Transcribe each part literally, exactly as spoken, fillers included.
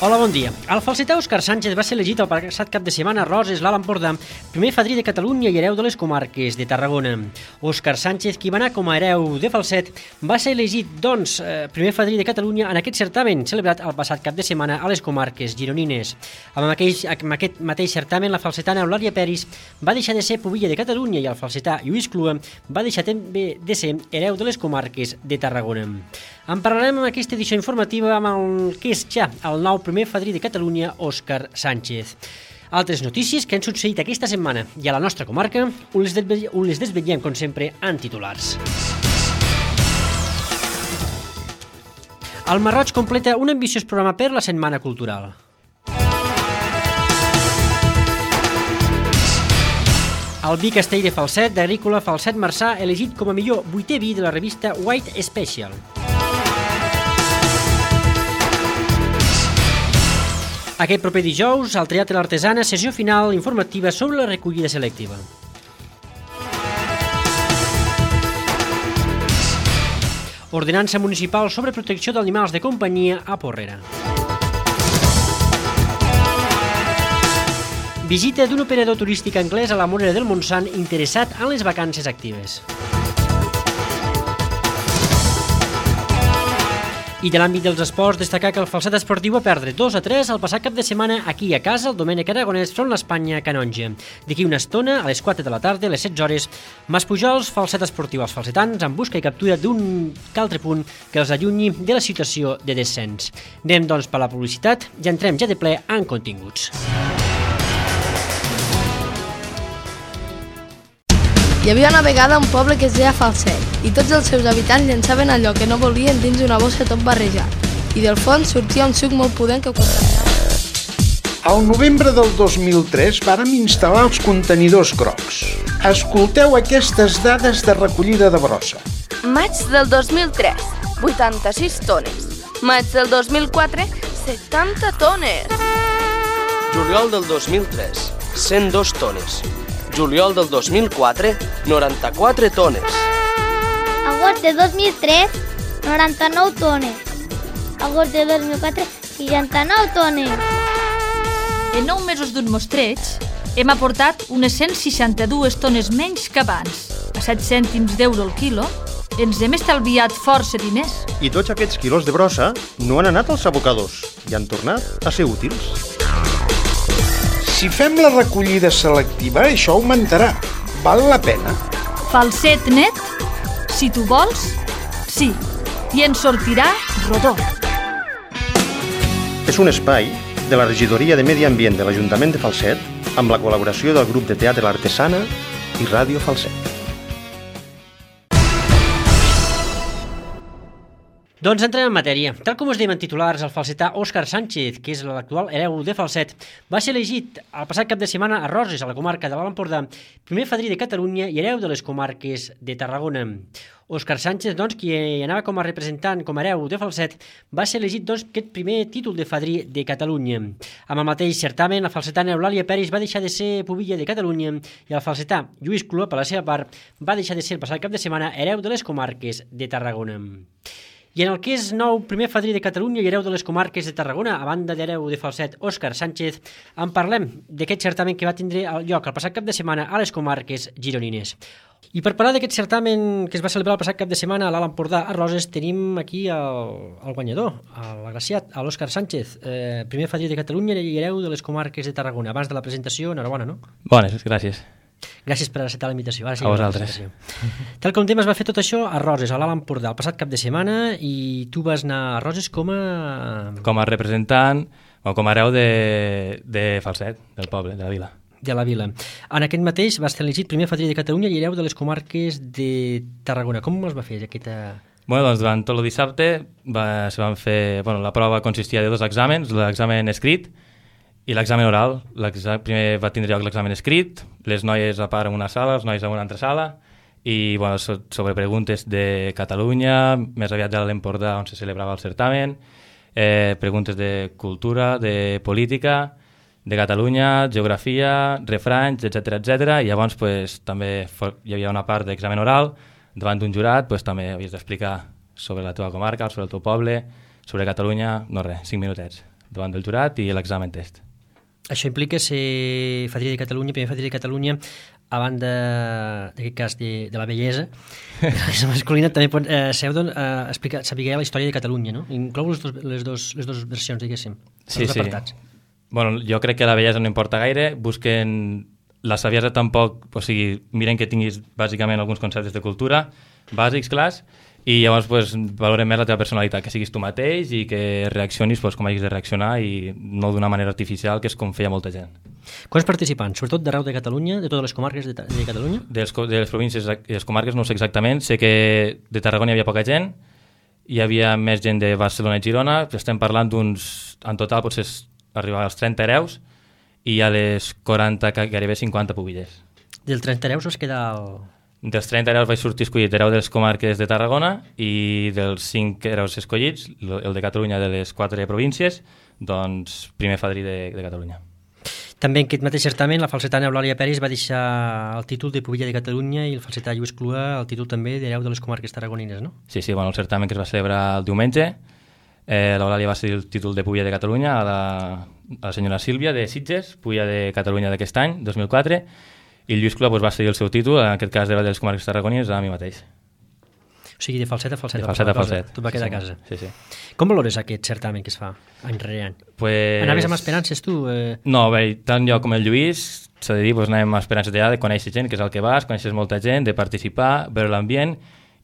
Hola, bon dia. El falsetà Òscar Sánchez va ser elegit el passat cap de setmana a Roses, l'Alt Empordà, primer fadrí de Catalunya i hereu de les comarques de Tarragona. Òscar Sánchez, qui va anar com a hereu de falset, va ser elegit, doncs, primer fadrí de Catalunya en aquest certamen celebrat el passat cap de setmana a les comarques gironines. Amb aquest, amb aquest mateix certamen, la falsetana Eulàlia Peris va deixar de ser pubilla de Catalunya i el falsetà Lluís Clua va deixar també de ser hereu de les comarques de Tarragona. En parlarem en aquesta edició informativa amb el que és ja el nou primer fadrí de Catalunya, Òscar Sánchez. Altres notícies que han succeït aquesta setmana i a la nostra comarca, on les, on les desvetllem, com sempre, en titulars. El Marroig completa un ambiciós programa per la Setmana Cultural. El vi Castell de Falset, d'Agrícola Falset Marçà, elegit com a millor vuitè vi de la revista White Special. Aquest proper dijous, al Teatre l'Artesana, sessió final informativa sobre la recollida selectiva. Ordenança municipal sobre protecció d'animals de companyia a Porrera. Visita d'un operador turístic anglès a la Morera del Montsant interessat en les vacances actives. I de l'àmbit dels esports, destacar que el falset esportiu va perdre dos a tres el passat cap de setmana aquí a casa el Domènec Aragonès front l'Espanya Canonge. D'aquí una estona, a les quatre de la tarda, a les setze hores, Mas Pujols, falset esportiu als falsetans, en busca i captura d'un altre punt que els allunyi de la situació de descens. Anem, doncs, per la publicitat i entrem ja de ple en continguts. Hi havia una vegada un poble que es deia Falset i tots els seus habitants llançaven allò que no volien dins una bossa tot barrejat i del fons sortia un suc molt pudent que contaminava. Al novembre del dos mil tres vàrem instal·lar els contenidors grocs. Escolteu aquestes dades de recollida de brossa. Maig del dos mil tres, vuitanta-sis tones. Maig del dos mil quatre, setanta tones. Juliol del dos mil tres, cent dos tones. Juliol del dos mil quatre, noranta-quatre tones. Agost de dos mil tres, noranta-nou tones. Agost de dos mil quatre, seixanta-nou tones. En nou mesos d'un mostreig, hem aportat unes cent seixanta-dues tones menys que abans. A set cèntims d'euro el quilo, ens hem estalviat força diners. I tots aquests quilos de brossa no han anat als abocadors i han tornat a ser útils. Si fem la recollida selectiva, això augmentarà. Val la pena. Falset net, si tu vols, sí. I en sortirà rodó. És un espai de la Regidoria de Medi Ambient de l'Ajuntament de Falset amb la col·laboració del grup de teatre L'Artesana i Ràdio Falset. Doncs entrem en matèria. Tal com us dèiem en titulars, el falsetà Òscar Sánchez, que és l'actual hereu de Falset, va ser elegit el passat cap de setmana a Roses, a la comarca de l'Alt Empordà, primer fadrí de Catalunya i hereu de les comarques de Tarragona. Òscar Sánchez, doncs, qui anava com a representant, com a hereu de Falset, va ser elegit, doncs, aquest primer títol de fadrí de Catalunya. Amb el mateix certamen, la falsetana Eulàlia Peris va deixar de ser pubilla de Catalunya i el falsetà Lluís Clua, per la seva part, va deixar de ser el passat cap de setmana hereu de les comarques de Tarragona. I en el que és nou primer fadrí de Catalunya i hereu de les comarques de Tarragona, a banda d'hereu de falset Òscar Sánchez, en parlem d'aquest certamen que va tindre lloc el passat cap de setmana a les comarques gironines. I per parlar d'aquest certamen que es va celebrar el passat cap de setmana a l'Alt Empordà a Roses, tenim aquí el, el guanyador, l'agraciat, l'Òscar Sánchez, eh, primer fadrí de Catalunya i hereu de les comarques de Tarragona. Abans de la presentació, enhorabona, no? Bones, gràcies. Gràcies per acceptar la invitació. Ara sí, a vosaltres. Tal com dèiem, es va fer tot això a Roses, a l'Alt Empordà, el passat cap de setmana, i tu vas anar a Roses com a... Com a representant, o com a hereu de, de Falset, del poble, de la vila. De la vila. En aquest mateix vas ser elegit primer fadrí de Catalunya i hereu de les comarques de Tarragona. Com es va fer aquesta... Bueno, doncs durant tot el dissabte va, se van fer... Bueno, la prova consistia de dos exàmens, l'examen escrit i l'examen oral. Primer va tindre lloc l'examen escrit, les noies a part en una sala, els nois en una altra sala, i bueno, sobre preguntes de Catalunya, més aviat de l'Empordà on se celebrava el certamen, eh, preguntes de cultura, de política, de Catalunya, geografia, refranys, etcètera, etcètera, i llavors pues, també hi havia una part d'examen oral, davant d'un jurat pues, també havies d'explicar sobre la teva comarca, sobre el teu poble, sobre Catalunya, no res, cinc minutets. davant del jurat i l'examen test. Això implica ser fadrí de Catalunya, primer fadrí de Catalunya, a banda, en aquest cas, de, de la bellesa, de la bellesa masculina, també pot, eh, seu, doncs, eh, explicar, saber la història de Catalunya, no? Inclou les dos, les dos, les dos versions, diguéssim, els sí, dos sí. apartats. Bueno, jo crec que la bellesa no importa gaire, busquen la saviesa tampoc, o sigui, miren que tinguis bàsicament alguns conceptes de cultura, bàsics, clars, i llavors pues, valoren més la teva personalitat, que siguis tu mateix i que reaccionis pues, com hagis de reaccionar i no d'una manera artificial, que és com feia molta gent. Quants participants? Sobretot d'arreu de Catalunya, de totes les comarques de, de Catalunya? De les, de les províncies i les comarques no ho sé exactament, sé que de Tarragona hi havia poca gent, hi havia més gent de Barcelona i Girona, estem parlant d'uns, en total potser arribar als trenta hereus i a les quaranta, gairebé cinquanta pubillers. Del trenta hereus es queda el... Dels trenta hereus vaig sortir escollit hereu de les comarques de Tarragona i dels cinc hereus escollits, el de Catalunya de les quatre províncies, doncs primer fadrí de, de Catalunya. També en aquest mateix certament la falsetana Eulàlia Peris va deixar el títol de pubilla de Catalunya i el falsetà Lluís Clua el títol també d'hereu de les comarques tarragonines, no? Sí, sí, bueno, el certamen que es va celebrar el diumenge, eh, l'Eulàlia va ser el títol de pubilla de Catalunya a la, a la senyora Sílvia de Sitges, pubilla de Catalunya d'aquest any, dos mil quatre, i el Lluís Clua pues, va cedir el seu títol, en aquest cas de les comarques tarragonines, a mi mateix. O sigui, de falset a falset. De falset a falset. Tot va quedar sí, a casa. Sí, sí. Com valores aquest certamen que es fa any rere any? Pues... Anaves amb esperances, tu? Eh... No, bé, tant jo com el Lluís, s'ha de dir, pues, anàvem amb esperances d'allà de conèixer gent, que és el que vas, coneixes molta gent, de participar, veure l'ambient,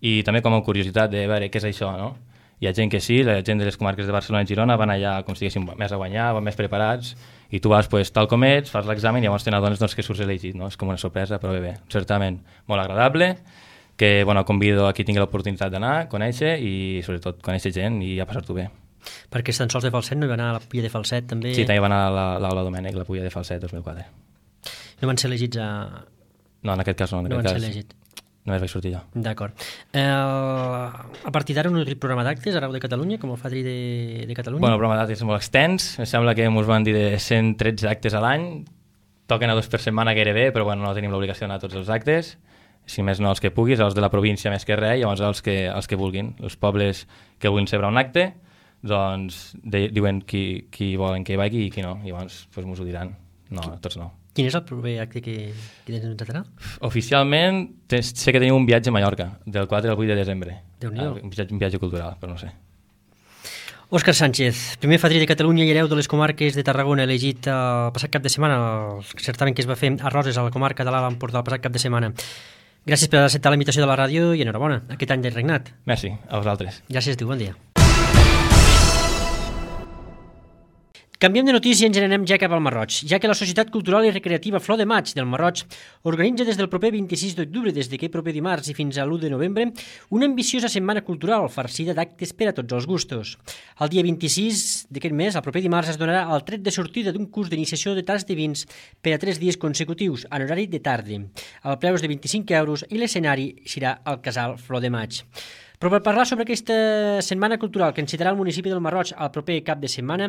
i també com a curiositat de veure què és això, no? Hi ha gent que sí, la gent de les comarques de Barcelona i Girona van allà com si diguéssim més a guanyar, van més preparats, i tu vas pues, tal com ets, fas l'examen i llavors te n'adones doncs, que surts elegit, no? És com una sorpresa, però bé, bé, certament molt agradable, que bueno, convido a qui tingui l'oportunitat d'anar, conèixer i sobretot conèixer gent i a passar-t'ho bé. Perquè tan sols de falset no hi va anar a la pulla de falset també? Sí, també va anar a l'Aula Domènec, la pulla de falset dos mil quatre. No van ser elegits a... No, en aquest cas no. En no aquest van cas... ser elegits. Només vaig sortir jo. D'acord. Eh, a partir d'ara un nutrit programa d'actes arreu de Catalunya, com el fadrí de, de Catalunya? Bueno, el programa d'actes és molt extens. Em sembla que ens van dir de cent tretze actes a l'any. Toquen a dos per setmana gairebé, però bueno, no tenim l'obligació d'anar a tots els actes. Si més no els que puguis, els de la província més que res, i llavors els que, els que vulguin. Els pobles que vulguin celebrar un acte, doncs de, diuen qui, qui volen que hi vagi i qui no. I llavors pues, m'ho diran. No, tots no. Quin és el proper acte que, que tens en Tatarà? Oficialment sé que tenim un viatge a Mallorca, del quatre al vuit de desembre. Déu-n'hi-do. Un viatge, un viatge cultural, però no sé. Òscar Sánchez, primer fadrí de Catalunya i hereu de les comarques de Tarragona, elegit el passat cap de setmana, el certamen que es va fer a Roses, a la comarca de l'Alt Empordà, el passat cap de setmana. Gràcies per acceptar la invitació de la ràdio i enhorabona, aquest any de regnat. Merci, a vosaltres. Gràcies a tu, bon dia. Canviem de notícia i ens n'anem ja cap al Marroig, ja que la Societat Cultural i Recreativa Flor de Maig del Marroig organitza des del proper vint-i-sis d'octubre, des d'aquest proper dimarts i fins a l'u de novembre, una ambiciosa setmana cultural farcida d'actes per a tots els gustos. El dia vint-i-sis d'aquest mes, el proper dimarts, es donarà el tret de sortida d'un curs d'iniciació de tas de vins per a tres dies consecutius, en horari de tarda. El preu és de vint-i-cinc euros i l'escenari serà el Casal Flor de Maig. Però per parlar sobre aquesta setmana cultural que encitarà el municipi del Marroig al proper cap de setmana,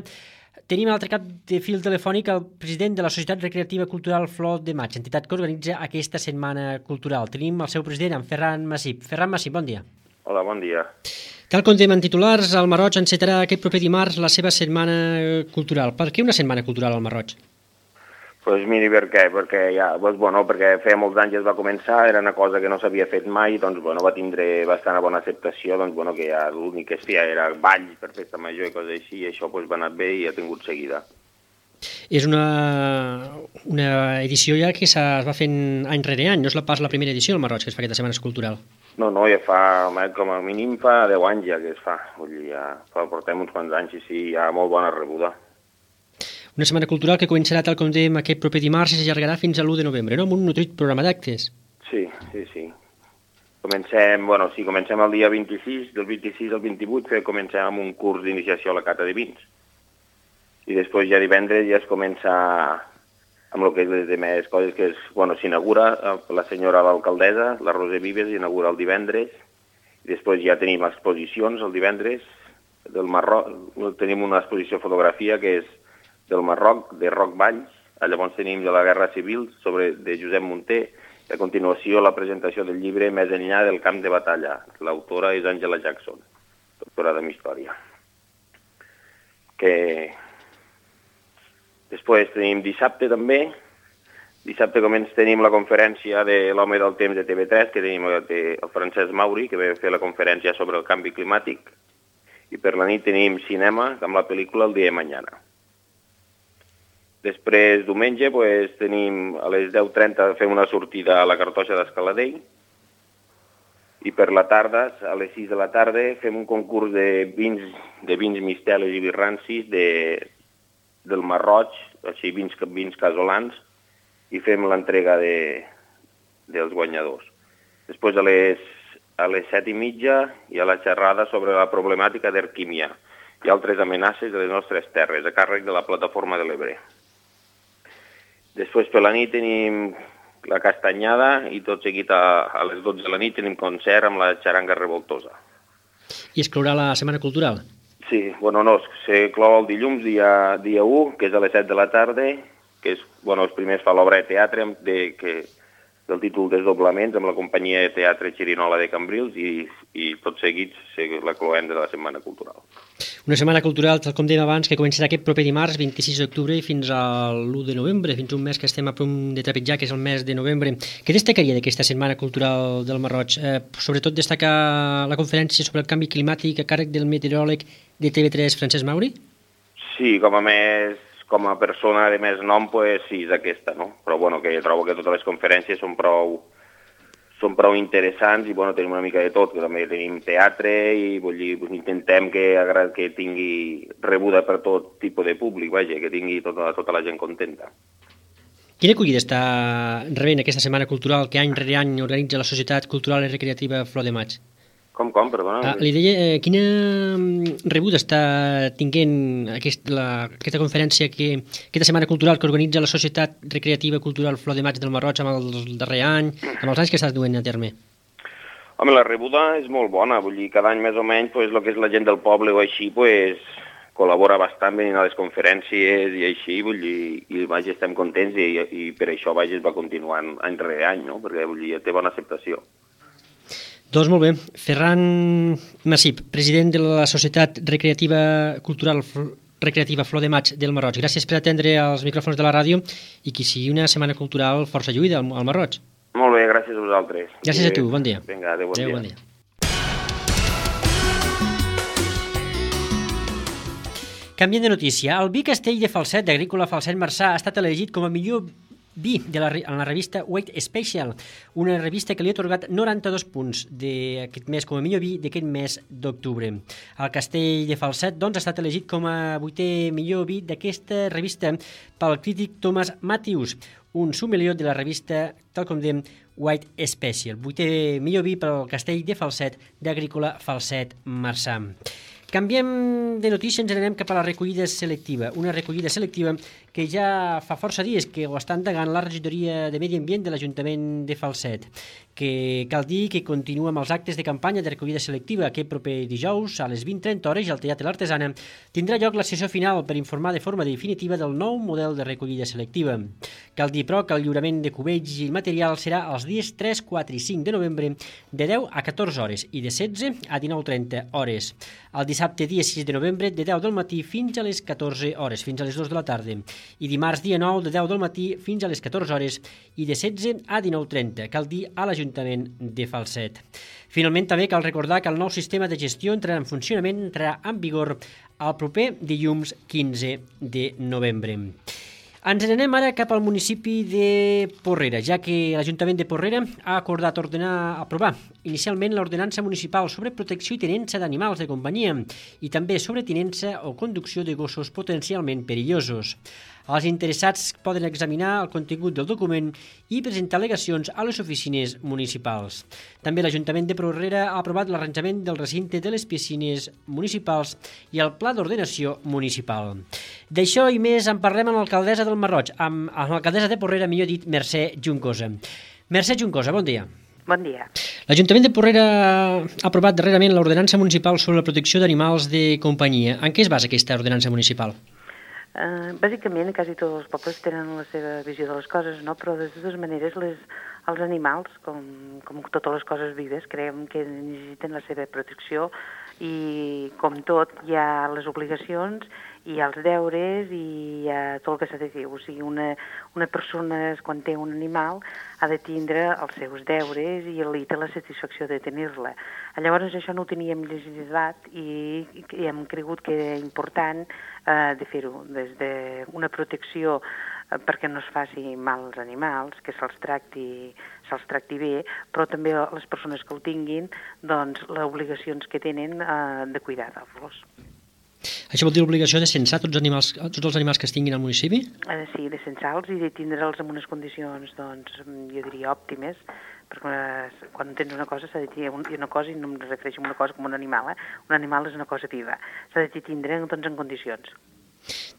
tenim a l'altre cap de fil telefònic el president de la Societat Recreativa Cultural Flor de Maig, entitat que organitza aquesta setmana cultural. Tenim el seu president, en Ferran Massip. Ferran Massip, bon dia. Hola, bon dia. Tal com dèiem en titulars, el Marroig encetarà aquest proper dimarts la seva setmana cultural. Per què una setmana cultural al Marroig? Doncs pues miri, per què? Perquè, ja, doncs, bueno, perquè feia molts anys es va començar, era una cosa que no s'havia fet mai, doncs bueno, va tindre bastant bona acceptació, doncs bueno, que ja l'únic que es feia era ball per festa major i coses així, i això doncs, va anar bé i ha tingut seguida. És una, una edició ja que es va fent any rere any, no és pas la primera edició al Marroig que es fa aquesta setmana cultural? No, no, ja fa, com a mínim fa deu anys ja que es fa, vull dir, ja fa, portem uns quants anys i sí, hi ha molt bona rebuda. Una setmana cultural que començarà, tal com dèiem, aquest proper dimarts i s'allargarà fins a l'u de novembre, no? Amb un nutrit programa d'actes. Sí, sí, sí. Comencem, bueno, sí, comencem el dia vint-i-sis, del vint-i-sis al vint-i-vuit, que comencem amb un curs d'iniciació a la cata de vins. I després ja divendres ja es comença amb el que és les demés coses, que és, bueno, s'inaugura la senyora l'alcaldessa, la Roser Vives, inaugura el divendres, i després ja tenim exposicions el divendres del Marroc, tenim una exposició de fotografia que és del Marroc, de Roc Valls, llavors tenim de la Guerra Civil sobre, de Josep Munter, i a continuació la presentació del llibre Més enllà del camp de batalla. L'autora és Angela Jackson, doctora en història. Que, Després tenim dissabte també. Dissabte començ tenim la conferència de l'Home del Temps de T V tres, que tenim el, el Francesc Mauri, que ve fer la conferència sobre el canvi climàtic. I per la nit tenim cinema amb la pel·lícula El dia de mañana. Després, diumenge, pues, tenim a les deu trenta fem una sortida a la Cartoixa d'Escaladell. I per la tarda, a les sis de la tarda, fem un concurs de vins, de vins misteles i birrancis de, del Marroig, així vins, vins casolans, i fem l'entrega de, dels guanyadors. Després a les, a les set i mitja hi ha la xerrada sobre la problemàtica d'Erquímia i altres amenaces de les nostres terres, a càrrec de la plataforma de l'Ebre. Després per la nit tenim la castanyada i tot seguit a, a les dotze de la nit tenim concert amb la xaranga revoltosa. I es clourà la Setmana Cultural? Sí, bueno, no, se clou el dilluns, dia, dia u, que és a les set de la tarda, que és, bueno, els primers fa l'obra de teatre de, que, del títol Desdoblaments amb la companyia de teatre Xirinola de Cambrils i, i tot seguit la cloem de la Setmana Cultural. Una setmana cultural, tal com dèiem abans, que començarà aquest proper dimarts, vint-i-sis d'octubre, fins a l'u de novembre, fins un mes que estem a punt de trepitjar, que és el mes de novembre. Què destacaria d'aquesta Setmana Cultural del Marroig? Eh, sobretot destacar la conferència sobre el canvi climàtic a càrrec del meteoròleg de T V tres, Francesc Mauri? Sí, com a més, com a persona de més nom, pues, sí, és aquesta, no? Però bueno, que trobo que totes les conferències són prou, són prou interessants i bueno, tenim una mica de tot, que també tenim teatre i vull dir, pues, intentem que, que tingui rebuda per tot tipus de públic, vaja, que tingui tota, tota la gent contenta. Quina acollida està rebent aquesta Setmana Cultural que any rere any organitza la Societat Cultural i Recreativa Flor de Maig? Com, com, perdona? Ah, li deia, eh, quina rebuda està tinguent aquest, la, aquesta conferència, que, aquesta Setmana Cultural que organitza la Societat Recreativa Cultural Flor de Maig del Marroig amb el darrer any, amb els anys que està duent a terme? Home, la rebuda és molt bona, vull dir, cada any més o menys, pues, el que és la gent del poble o així, pues, col·labora bastant venint a les conferències i així, vull dir, i vaja, estem contents i, i per això vaja, es va continuant any rere any, no? Perquè vull dir, té bona acceptació. Doncs molt bé. Ferran Massip, president de la Societat Recreativa Cultural Recreativa Flor de Maig del Marroig. Gràcies per atendre els micròfons de la ràdio i que sigui una setmana cultural força lluïda al, al Marroig. Molt bé, gràcies a vosaltres. Gràcies a tu, bon dia. Vinga, adéu, bon adéu, dia. Bon dia. Canviant de notícia, el vi Castell de Falset d'Agrícola Falset Marçà ha estat elegit com a millor vi de la, en la revista Weight Special, una revista que li ha atorgat noranta-dos punts d'aquest mes com a millor vi d'aquest mes d'octubre. El Castell de Falset doncs, ha estat elegit com a vuitè millor vi d'aquesta revista pel crític Thomas Matthews, un sommelier de la revista, tal com dèiem, Weight Special. Vuitè millor vi pel Castell de Falset d'Agrícola Falset Marçà. Canviem de notícia, ens anem cap a la recollida selectiva. Una recollida selectiva que ja fa força dies que ho està endegant la regidoria de Medi Ambient de l'Ajuntament de Falset, que cal dir que continua amb els actes de campanya de recollida selectiva. Aquest proper dijous, a les vint i trenta hores, al Teatre L'Artesana, tindrà lloc la sessió final per informar de forma definitiva del nou model de recollida selectiva. Cal dir, però, que el lliurament de cubells i material serà els dies tres, quatre i cinc de novembre de deu a catorze hores i de setze a dinou trenta hores. El dissabte, dia sis de novembre, de deu del matí fins a les catorze hores, fins a les dues de la tarda. I dimarts, dia nou, de deu del matí fins a les catorze hores i de setze a dinou trenta, cal dir, a l'Ajuntament de Falset. Finalment, també cal recordar que el nou sistema de gestió entrarà en funcionament, entrarà en vigor el proper dilluns quinze de novembre. Ens n'anem ara cap al municipi de Porrera, ja que l'Ajuntament de Porrera ha acordat ordenar, aprovar inicialment l'ordenança municipal sobre protecció i tinença d'animals de companyia i també sobre tinença o conducció de gossos potencialment perillosos. Els interessats poden examinar el contingut del document i presentar al·legacions a les oficines municipals. També l'Ajuntament de Porrera ha aprovat l'arranjament del recinte de les piscines municipals i el pla d'ordenació municipal. D'això i més en parlem amb l'alcaldessa del Marroig, amb, amb l'alcaldessa de Porrera, millor dit, Mercè Juncosa. Mercè Juncosa, bon dia. Bon dia. L'Ajuntament de Porrera ha aprovat darrerament l'ordenança municipal sobre la protecció d'animals de companyia. En què es basa aquesta ordenança municipal? Uh, bàsicament, quasi tots els pobles tenen la seva visió de les coses, no? Però de totes maneres les, els animals, com, com totes les coses vives, creiem que necessiten la seva protecció I com tot, hi ha les obligacions, hi ha els deures i hi ha tot el que s'ha de fer. O sigui, una, una persona, quan té un animal, ha de tindre els seus deures i li té la satisfacció de tenir-la. Llavors, això no ho teníem legislat i, i hem cregut que era important eh, de fer-ho, des d'una protecció eh, perquè no es faci mal als animals, que se'ls tracti, se'ls tracti bé, però també les persones que ho tinguin, doncs, les obligacions que tenen eh, de cuidar-los. Això vol dir l'obligació de censar tots, animals, tots els animals que es tinguin al municipi? Eh, sí, de censar-los i de tindre'ls en unes condicions, doncs, jo diria òptimes, perquè eh, quan tens una cosa s'ha de tenir una cosa, i no em refereixo a una cosa com un animal, eh? Un animal és una cosa viva, s'ha de tindre doncs, en condicions.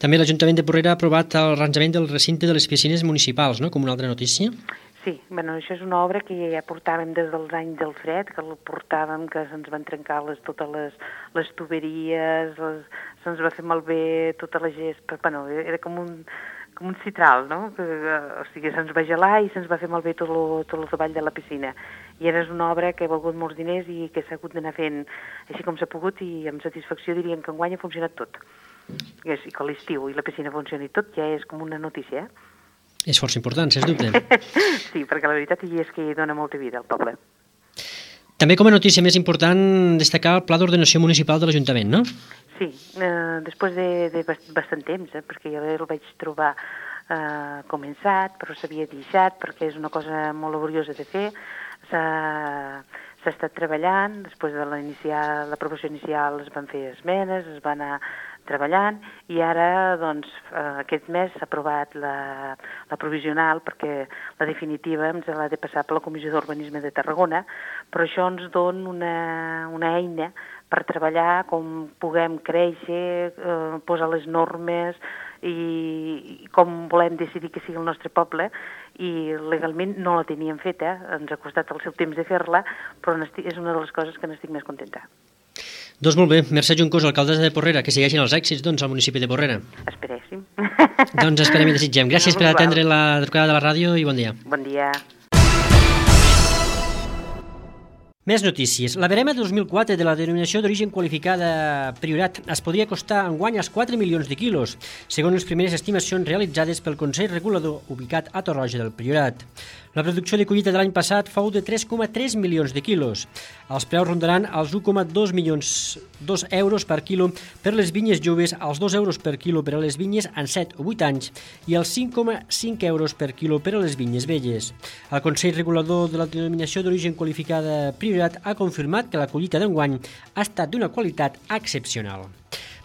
També l'Ajuntament de Porrera ha aprovat el arranjament del recinte de les piscines municipals, no?, com una altra notícia. Sí, bueno, això és una obra que ja portàvem des dels anys del fred, que el portàvem, que se'ns van trencar les, totes les, les tuberies, les, se'ns va fer malbé tota la gespa, bueno, era com un, com un citral, no? Que, o sigui, se'ns va gelar i se'ns va fer malbé tot el, tot el treball de la piscina. I ara és una obra que ha valgut molts diners i que s'ha hagut d'anar fent així com s'ha pogut, i amb satisfacció diríem que enguany ha funcionat tot. I que l'estiu i la piscina funcioni tot ja és com una notícia, eh? És força important, sens dubte. Sí, perquè la veritat és que hi dona molta vida al poble. També com a notícia més important destacar el Pla d'Ordenació Municipal de l'Ajuntament, no? Sí, eh, després de, de bastant temps, eh, perquè jo el vaig trobar eh, començat, però s'havia deixat, perquè és una cosa molt laboriosa de fer. S'ha estat treballant, després de l'aprovació inicial es van fer esmenes, es va anar treballant, i ara, doncs, aquest mes s'ha aprovat la, la provisional, perquè la definitiva ens l'ha de passar per la Comissió d'Urbanisme de Tarragona, però això ens dona una, una eina per treballar com puguem créixer, eh, posar les normes i, i com volem decidir que sigui el nostre poble, i legalment no la teníem feta, ens ha costat el seu temps de fer-la, però és una de les coses que n'estic més contenta. Doncs molt bé, Mercè Juncós, alcaldessa de Porrera, que segueixin els èxits doncs, al municipi de Porrera. Esperéssim. Doncs esperem i desitgem. Gràcies per atendre la trucada de la ràdio i bon dia. Bon dia. Més notícies. La verema de dos mil quatre de la denominació d'origen qualificada Priorat es podria costar enguany als quatre milions de quilos, segons les primeres estimacions realitzades pel Consell Regulador ubicat a Torroja del Priorat. La producció de collita de l'any passat fou de tres coma tres milions de quilos. Els preus rondaran els un coma dos milions dos euros per quilo per les vinyes joves, als dos euros per quilo per a les vinyes en set o vuit anys i els cinc coma cinc euros per quilo per a les vinyes velles. El Consell Regulador de la denominació d'origen qualificada Priorat ha confirmat que la collita d'enguany ha estat d'una qualitat excepcional.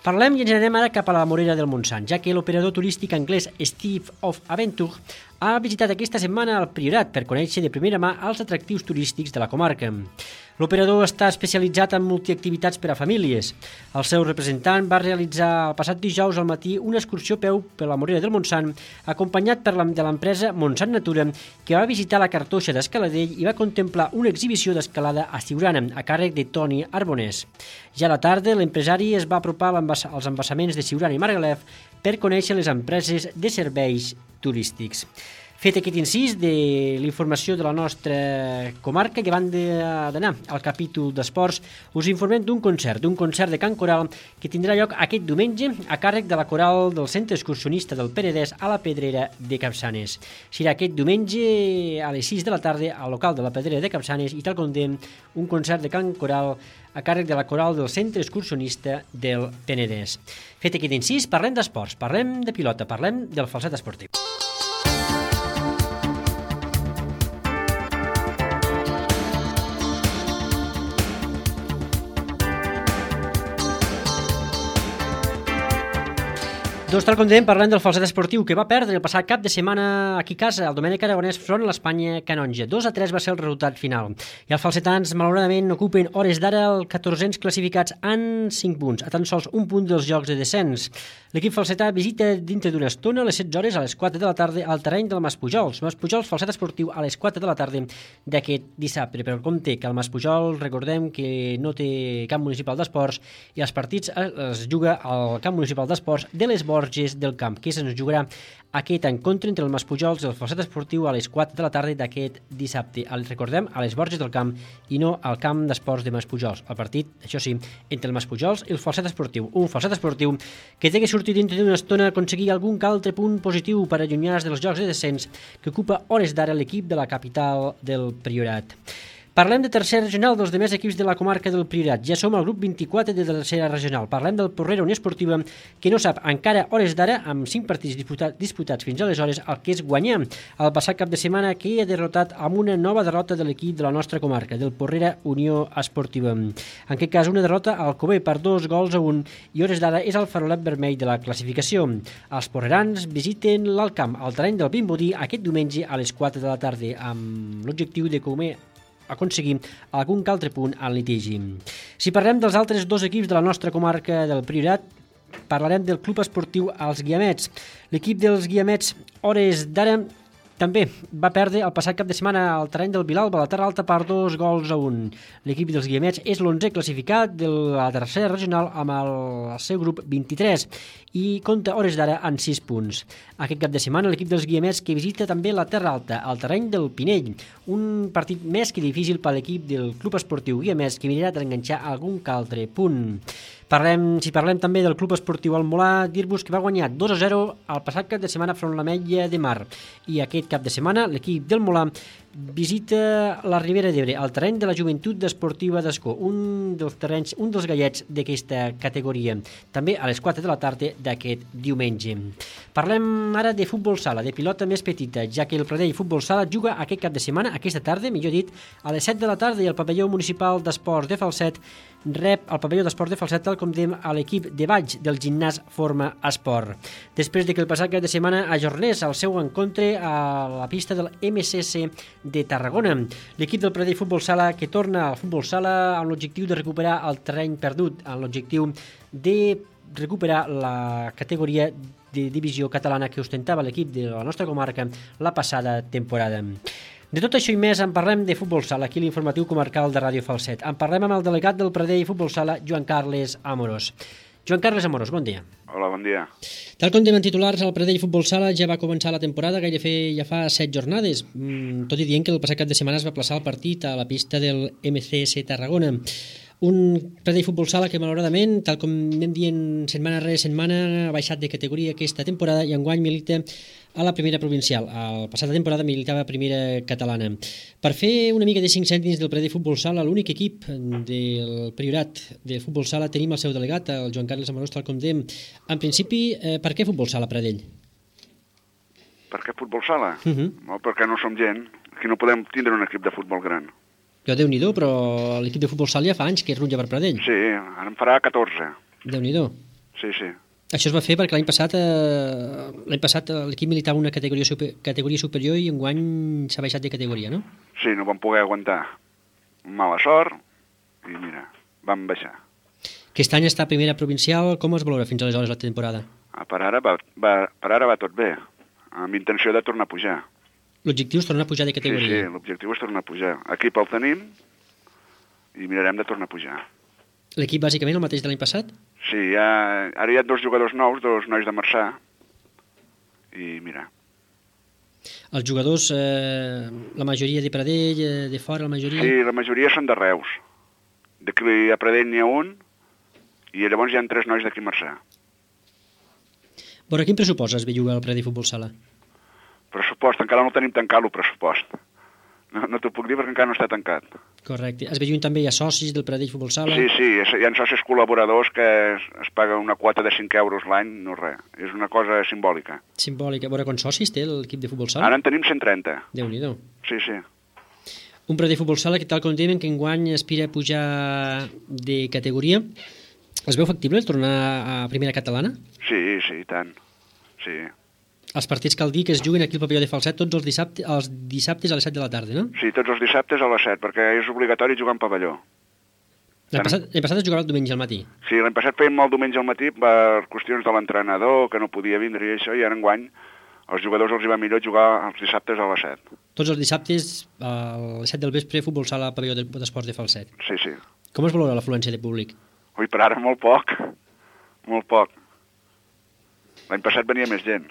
Parlem i ens anem ara cap a la Morera del Montsant, ja que l'operador turístic anglès Steve of Aventure ha visitat aquesta setmana el Priorat per conèixer de primera mà els atractius turístics de la comarca. L'operador està especialitzat en multiactivitats per a famílies. El seu representant va realitzar el passat dijous al matí una excursió a peu per la Morera del Montsant, acompanyat per la, de l'empresa Montsant Natura, que va visitar la cartoixa d'Escaladell i va contemplar una exhibició d'escalada a Siurana, a càrrec de Toni Arbonès. Ja a la tarda, l'empresari es va apropar als embassaments de Siurana i Margalef per conèixer les empreses de serveis turístics. Fet aquest incís de l'informació de la nostra comarca, i abans d'anar al capítol d'esports, us informem d'un concert, d'un concert de cant coral que tindrà lloc aquest diumenge a càrrec de la coral del Centre Excursionista del Penedès a la Pedrera de Capçanes. Serà aquest diumenge a les sis de la tarda al local de la Pedrera de Capçanes i tal com dèiem, un concert de cant coral a càrrec de la coral del Centre Excursionista del Penedès. Fet aquest incís, parlem d'esports, parlem de pilota, parlem del falset esportiu. Doncs tal com dèiem, parlem del falset esportiu que va perdre el passat cap de setmana aquí a casa, el Domènec Aragonès front a l'Espanya Canonja. dos a tres va ser el resultat final. I els falsetans, malauradament, ocupen hores d'ara el catorzens classificats en cinc punts, a tan sols un punt dels jocs de descens. L'equip falsetà visita dintre d'una estona a les setze hores a les quatre de la tarda al terreny del Maspujols. Maspujols, falset esportiu a les quatre de la tarda d'aquest dissabte. Però com té que el Maspujols, recordem que no té camp municipal d'esports i els partits es juga al camp municipal d'esports de les Borges Borges del Camp, que se'ns jugarà aquest encontre entre el Maspujols i el Falset Esportiu a les quatre de la tarda d'aquest dissabte. El recordem, a les Borges del Camp i no al camp d'esports de Maspujols. El partit, això sí, entre el Maspujols i el Falset Esportiu. Un Falset Esportiu que té que sortir dintre d'una estona a aconseguir algun altre punt positiu per allunyar-se dels jocs de descens que ocupa hores d'ara l'equip de la capital del Priorat. Parlem de tercera regional dels demés equips de la comarca del Priorat. Ja som al grup vint-i-quatre de tercera regional. Parlem del Porrera Unió Esportiva, que no sap encara hores d'ara, amb cinc partits disputat, disputats fins aleshores, el que és guanyar. El passat cap de setmana que ha derrotat amb una nova derrota de l'equip de la nostra comarca, del Porrera Unió Esportiva. En aquest cas, una derrota al Cové per dos gols a un, i hores d'ara és el farolet vermell de la classificació. Els porrerans visiten l'Alcamp, al terreny del Vimbodí, aquest diumenge a les quatre de la tarda, amb l'objectiu de comer aconseguir algun altre punt al litigi. Si parlem dels altres dos equips de la nostra comarca del Priorat, parlarem del Club Esportiu Els Guiamets. L'equip dels Guiamets, hores d'ara, també va perdre el passat cap de setmana al terreny del Vilalba, a la Terra Alta, per dos gols a un. L'equip dels Guiamets és l'onzè classificat de la tercera regional amb el seu grup vint-i-tres i compta hores d'ara en sis punts. Aquest cap de setmana l'equip dels Guiamets que visita també la Terra Alta, al terreny del Pinell, un partit més que difícil per l'equip del Club Esportiu Guiamets que mirarà d'enganxar algun altre punt. Parlem, si parlem també del Club Esportiu Almolà, dir-vos que va guanyar dos a zero el passat cap de setmana front a l'Ametlla de Mar. I aquest cap de setmana l'equip del Molà visita la Ribera d'Ebre, al terreny de la Joventut Esportiva d'Escó, un dels terrenys, un dels gallets d'aquesta categoria, també a les quatre de la tarda d'aquest diumenge. Parlem ara de futbol sala, de pilota més petita, ja que el Pradell Futbol Sala juga aquest cap de setmana, aquesta tarda, millor dit, a les set de la tarda, i el pavelló municipal d'esports de Falset rep el pavelló d'esports de Falset, tal com dèiem, a l'equip de baix del gimnàs Forma Esport. Després de que el passat cap de setmana ajornés el seu encontre a la pista del M C C de Tarragona, l'equip del Pradell Futbol Sala que torna al futbol sala amb l'objectiu de recuperar el terreny perdut, amb l'objectiu de recuperar la categoria de divisió catalana que ostentava l'equip de la nostra comarca la passada temporada. De tot això i més en parlem de futbol sala, aquí l'informatiu comarcal de Ràdio Falset. En parlem amb el delegat del Pradell Futbol Sala, Joan Carles Amorós. Joan Carles Amorós, bon dia. Hola, bon dia. Tal com dèiem titulars, el Pradell Futbol Sala ja va començar la temporada, gairebé ja fa set jornades, tot i dient que el passat cap de setmana es va plaçar el partit a la pista del M C S Tarragona. Un Pradell Futbol Sala que malauradament, tal com anem dient setmana rere setmana, ha baixat de categoria aquesta temporada i enguany milita a la primera provincial. La passada temporada militava a primera catalana. Per fer una mica de cinc cèntims del Pradell Futbol Sala, l'únic equip del Priorat de Futbol Sala, tenim el seu delegat, el Joan Carles Amorós, tal com dèiem. En principi, eh, per què Futbol Sala Pradell? Per què futbol sala? Uh -huh. No, perquè no som gent. Aquí no podem tindre un equip de futbol gran. Jo, Déu-n'hi-do, però l'equip de futbol sala ja fa anys que es rutlla per Pradell. Sí, ara en farà catorze. Déu-n'hi-do. Sí, sí. Això es va fer perquè l'any passat eh, l'any passat l'equip militava una categoria, super, categoria superior i enguany s'ha baixat de categoria, no? Sí, no vam poder aguantar. Mala sort i mira, vam baixar. Aquest any està a primera provincial, com es valora fins aleshores la temporada? Ah, per, ara va, va, per ara va tot bé, amb intenció de tornar a pujar. L'objectiu és tornar a pujar de categoria? Sí, sí, l'objectiu és tornar a pujar. Equip el tenim i mirarem de tornar a pujar. L'equip bàsicament el mateix de l'any passat? Sí, ha, ara hi ha dos jugadors nous, dos nois de Marçà, i mira. Els jugadors, eh, la majoria de Pradell, eh, de fora, la majoria... Sí, la majoria són de Reus. D'aquí a Pradell n'hi ha un, i llavors hi ha tres nois d'aquí a Marçà. Bueno, quin pressupost es ve jugar al Pradell Futbol Sala? Pressupost, encara no tenim tancat el pressupost. No, no t'ho puc dir perquè encara no està tancat. Correcte. Es veuen també hi ha socis del Pradell Futbol Sala? Sí, sí, hi ha socis col·laboradors que es, es paga una quota de cinc euros l'any, no res. És una cosa simbòlica. Simbòlica. A veure, quants socis té l'equip de futbol sala? Ara en tenim cent trenta. Déu-n'hi-do. Sí, sí. Un Pradell Futbol Sala que, tal com dèiem, que enguany aspira a pujar de categoria. Es veu factible tornar a primera catalana? Sí, sí, i tant. Sí. Els partits cal dir que es juguen aquí al pavelló de Falset tots els dissabtes, els dissabtes a les set de la tarda, no? Sí, tots els dissabtes a les set, perquè és obligatori jugar en pavelló. L'any passat, passat es jugava el diumenge al matí? Sí, l'any passat fèiem el diumenge al matí per qüestions de l'entrenador, que no podia vindre i això, i ara enguany als jugadors els hi va millor jugar els dissabtes a les set. Tots els dissabtes a les set del vespre, futbol sala al pavelló d'esports de Falset. Sí, sí. Com es valora l'afluència de públic? Ui, per ara molt poc, molt poc. L'any passat venia més gent.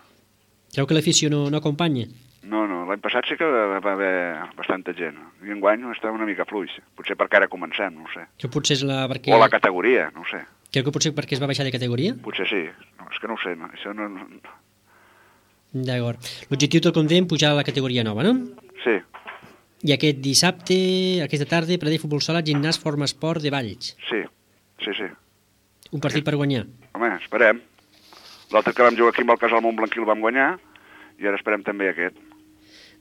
Creu que l'afició no, no acompanya? No, no, l'any passat sí que va haver bastanta gent. I enguany està una mica fluix. Potser perquè ara comencem, no ho sé. Que potser és la... Perquè... O la categoria, no ho sé. Creu que potser perquè es va baixar de categoria? Potser sí. No, és que no ho sé, no. Això no... D'acord. L'objectiu, tot com dèiem, pujar a la categoria nova, no? Sí. I aquest dissabte, aquesta tarda, per a futbol sala, gimnàs, forma esport de Valls. Sí, sí, sí. Un partit per guanyar. Home, esperem. L'altre que vam jugar aquí amb el Casal Montblanquí el vam guanyar i ara esperem també aquest.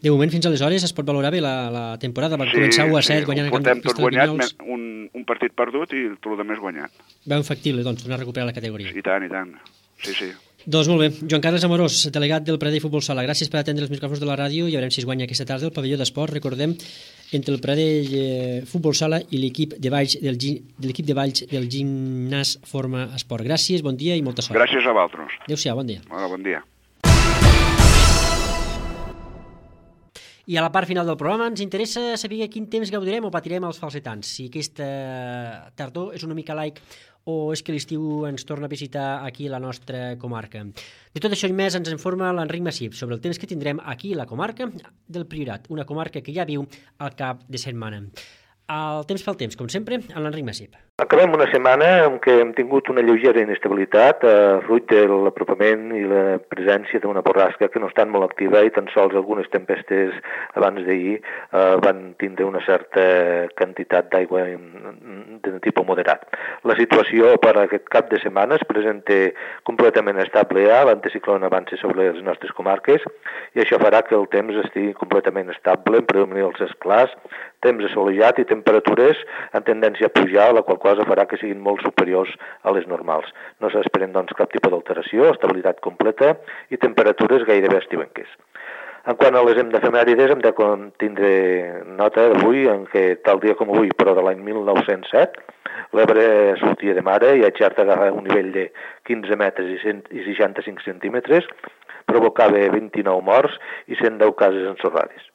De moment, fins aleshores, es pot valorar bé la, la temporada. Van sí, començar u a set, sí, guanyant... Sí, portem tot guanyat, un, un partit perdut i tot el més guanyat. Veu factible, doncs, tornar a recuperar la categoria. I tant, i tant. Sí, sí. Doncs molt bé. Joan Carles Amorós, delegat del Pradell Futbol Sala, gràcies per atendre els micròfons de la ràdio i veurem si es guanya aquesta tarda el pavelló d'esport. Recordem, entre el Pradell eh, Futbol Sala i l'equip de Valls del, de l'equip de Valls del gimnàs Forma Esport. Gràcies, bon dia i molta sort. Gràcies a vosaltres. Adéu-siau, bon dia. Hola, bon dia. I a la part final del programa ens interessa saber quin temps gaudirem o patirem els falsetans. Si aquesta tardor és una mica laic o és que l'estiu ens torna a visitar aquí a la nostra comarca. De tot això i més ens informa l'Enric Massip sobre el temps que tindrem aquí a la comarca del Priorat, una comarca que ja viu al cap de setmana. El temps pel temps, com sempre, amb l'Enric Massip. Acabem una setmana en què hem tingut una lleugera inestabilitat, eh, fruit de l'apropament i la presència d'una borrasca que no està molt activa i tan sols algunes tempestes abans d'ahir eh, van tindre una certa quantitat d'aigua de tipus moderat. La situació per a aquest cap de setmana es presenta completament estable ja, l'anticicló avança sobre les nostres comarques i això farà que el temps estigui completament estable, en predomini els esclars, temps assolellat i temperatures en tendència a pujar, la qual cosa farà que siguin molt superiors a les normals. No s'esperen, doncs, cap tipus d'alteració, estabilitat completa i temperatures gairebé estiuenques. En quant a les efemèrides, hem de tindre nota d'avui en què, tal dia com avui, però de l'any mil nou-cents set, l'Ebre sortia de mare i a Xerta agafava un nivell de quinze metres i seixanta-cinc centímetres, provocava vint-i-nou morts i cent deu cases ensorrades.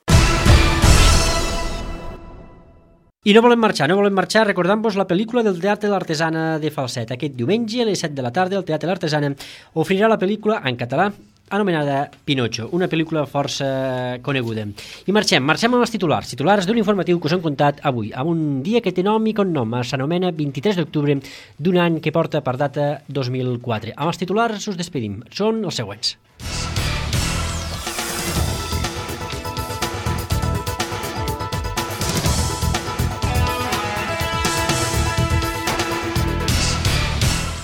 I no volem marxar, no volem marxar recordant-vos la pel·lícula del Teatre l'Artesana de Falset. Aquest diumenge a les set de la tarda el Teatre l'Artesana oferirà la pel·lícula en català anomenada Pinocho, una pel·lícula força coneguda. I marxem, marxem amb els titulars, titulars d'un informatiu que us hem contat avui, amb un dia que té nom i cognom, s'anomena vint-i-tres d'octubre d'un any que porta per data dos mil quatre. Amb els titulars us despedim, són els següents.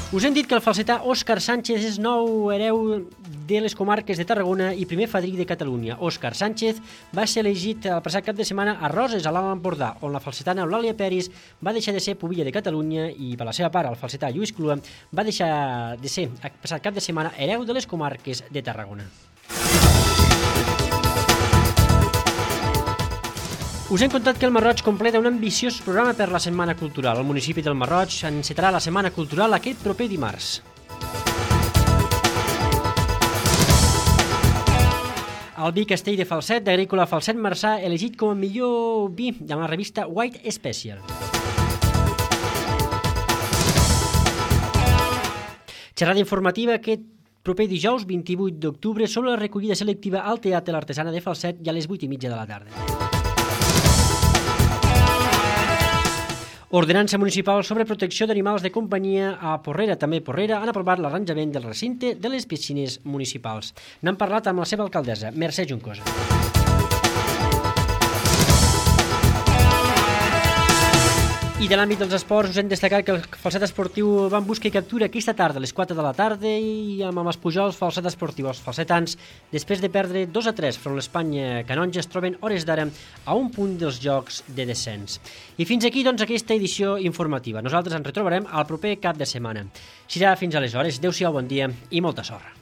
Us hem dit que el falsetà Òscar Sánchez és nou hereu de les comarques de Tarragona i primer fadrí de Catalunya. Òscar Sánchez va ser elegit el passat cap de setmana a Roses, a l'Alt Empordà, on la falsetana Eulàlia Peris va deixar de ser pubilla de Catalunya i, per la seva part, el falsetà Lluís Clua va deixar de ser, el passat cap de setmana, hereu de les comarques de Tarragona. Us hem contat que el Marroig completa un ambiciós programa per la Setmana Cultural. El municipi del Marroig encetarà la Setmana Cultural aquest proper dimarts. El vi Castell de Falset, d'Agrícola Falset Marçà, elegit com a millor vi de la revista White Special. Xerrada informativa aquest proper dijous vint-i-vuit d'octubre sobre la recollida selectiva al Teatre l'Artesana de Falset i a les vuit i mitja de la tarda. Ordenança municipal sobre protecció d'animals de companyia a Porrera. També Porrera han aprovat l'arranjament del recinte de les piscines municipals. N'han parlat amb la seva alcaldessa, Mercè Juncosa. I de l'àmbit dels esports us hem destacat que el falset esportiu va en busca i captura aquesta tarda a les quatre de la tarda i amb els Pujols falset esportiu. Els falsetans, després de perdre dos a tres front l'Espanya Canonja, es troben hores d'ara a un punt dels jocs de descens. I fins aquí, doncs, aquesta edició informativa. Nosaltres ens retrobarem al proper cap de setmana. Serà fins aleshores. Adéu-siau, bon dia i molta sort.